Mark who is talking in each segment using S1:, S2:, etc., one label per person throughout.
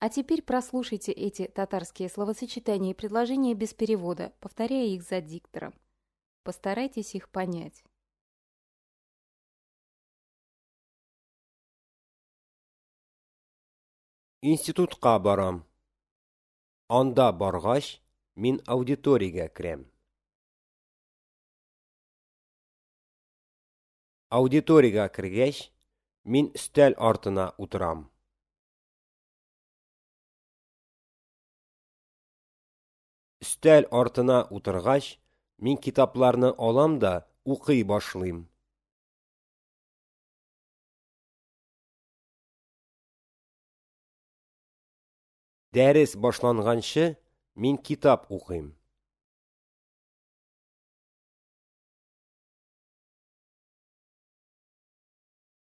S1: А теперь прослушайте эти татарские словосочетания и предложения без перевода, повторяя их за диктором. Постарайтесь их понять.
S2: Институтка барам. Анда баргач, мин аудиториягә керәм. Аудиториягә кергәч, мин өстәл артына утырам. Өстәл артына утыргач, мин китапларны алам да укый башлыйм. Дәрес башланганчы, мин китап укыйм.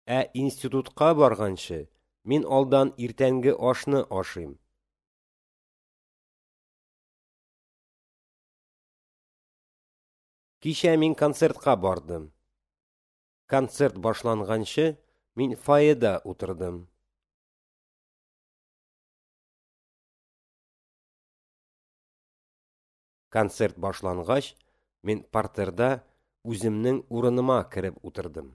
S2: Ә институтка барганчы, мин алдан иртәнге ашны ашыйм. Кичә мин концертка бардым. Концерт башланганчы, мин фойеда утырдым. Концерт башлангач, мин партерда үземнең урыныма кереп утырдым.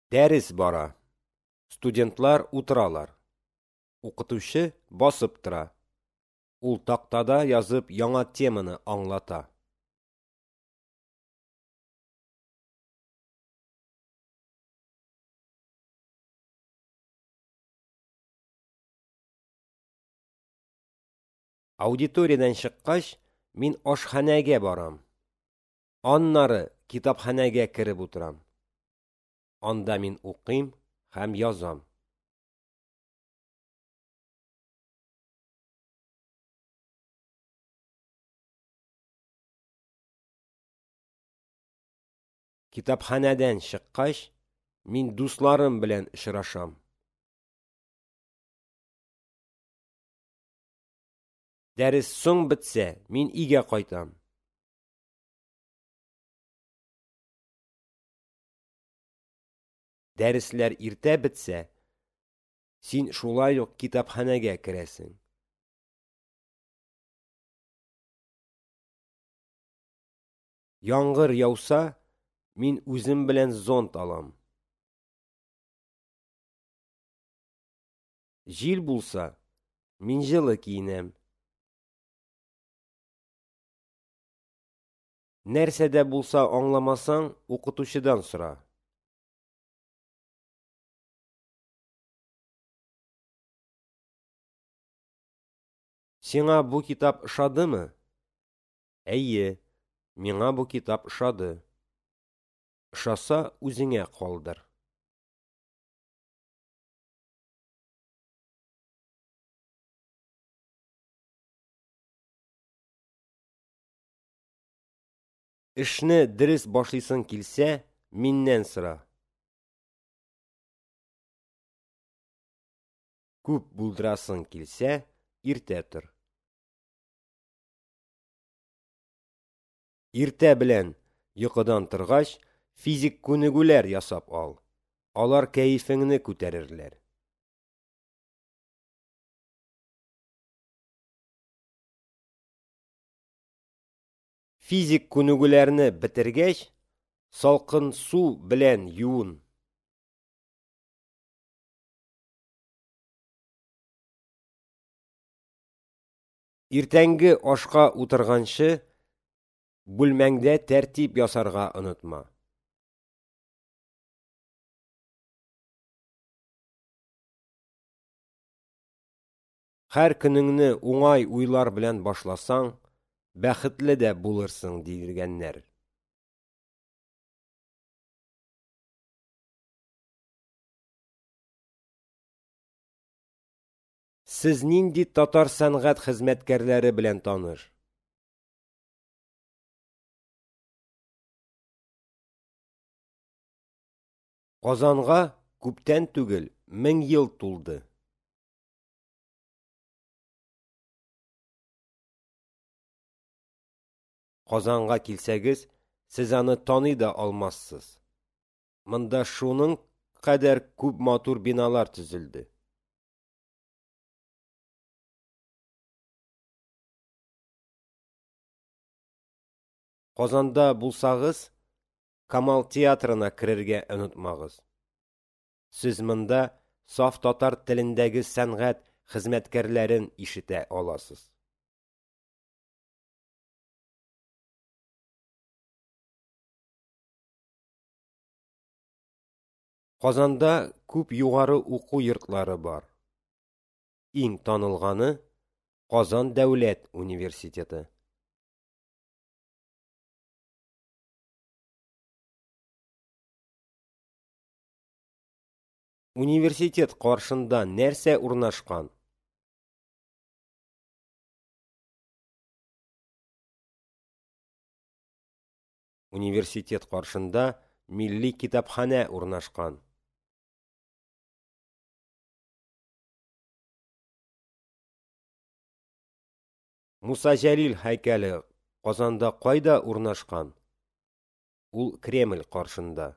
S2: Дәрес бара. Студентлар утыралар. Укытучы басып тора. Ул тактада язып яңа теманы аңлата. Аудиториядән чыккач, мин ашханәгә барам. Аннары китапханәгә кереп утырам. Анда мин укыйм һәм язам. Китапханәдән чыккач, мин дусларым белән очрашам. Дәрес соң бетсә, мин өйгә кайтам. Дәресләр иртә бетсә, син шулай ук китапханәгә керәсең. Яңгыр яуса, мин үзем белән зонт алам. Җил булса, мин җылы киенәм. Нәрсә дә булса аңламасаң, укытучыдан сора. Сиңа бу китап ошадымы? Әйе, миңа бу китап ошады. Ошаса, үзеңә калдыр. Эшне дөрес башлыйсың килсә, миннән сора. Күп булдырасың килсә, иртә тор. Иртә белән йокыдан торгач, физик күнегүләр ясап ал. Алар кәефеңне күтәрерләр. Физик күнегүләрне бетергәч, салкын су белән юын. Иртәнге ашка утырганчы, бүлмәңдә тәртип ясарга онытма. Һәр көнеңне уңай уйлар белән башласаң, бәхетле дә булырсың, дигәннәр. Сез нинди татар сәнгать хезмәткәрләре белән таныш? Казанга күптән түгел 1000 ел тулды. Казанга килсәгез, Сез аны таный да алмассыз. Монда шуның кадәр күп матур биналар төзелде. Казанда булсагыз, Камал театрына керергә онытмагыз. Сез монда саф татар телендәге сәнгать хезмәткәрләрен ишетә аласыз. Казанда күп югары уку йортлары бар. Иң танылганы Казан дәүләт университеты. Университет каршында нәрсә урнашкан? Университет каршында Милли китапханә урнашкан. Муса Җәлил һәйкәле Казанда кайда урнашкан? Ул Кремль каршында.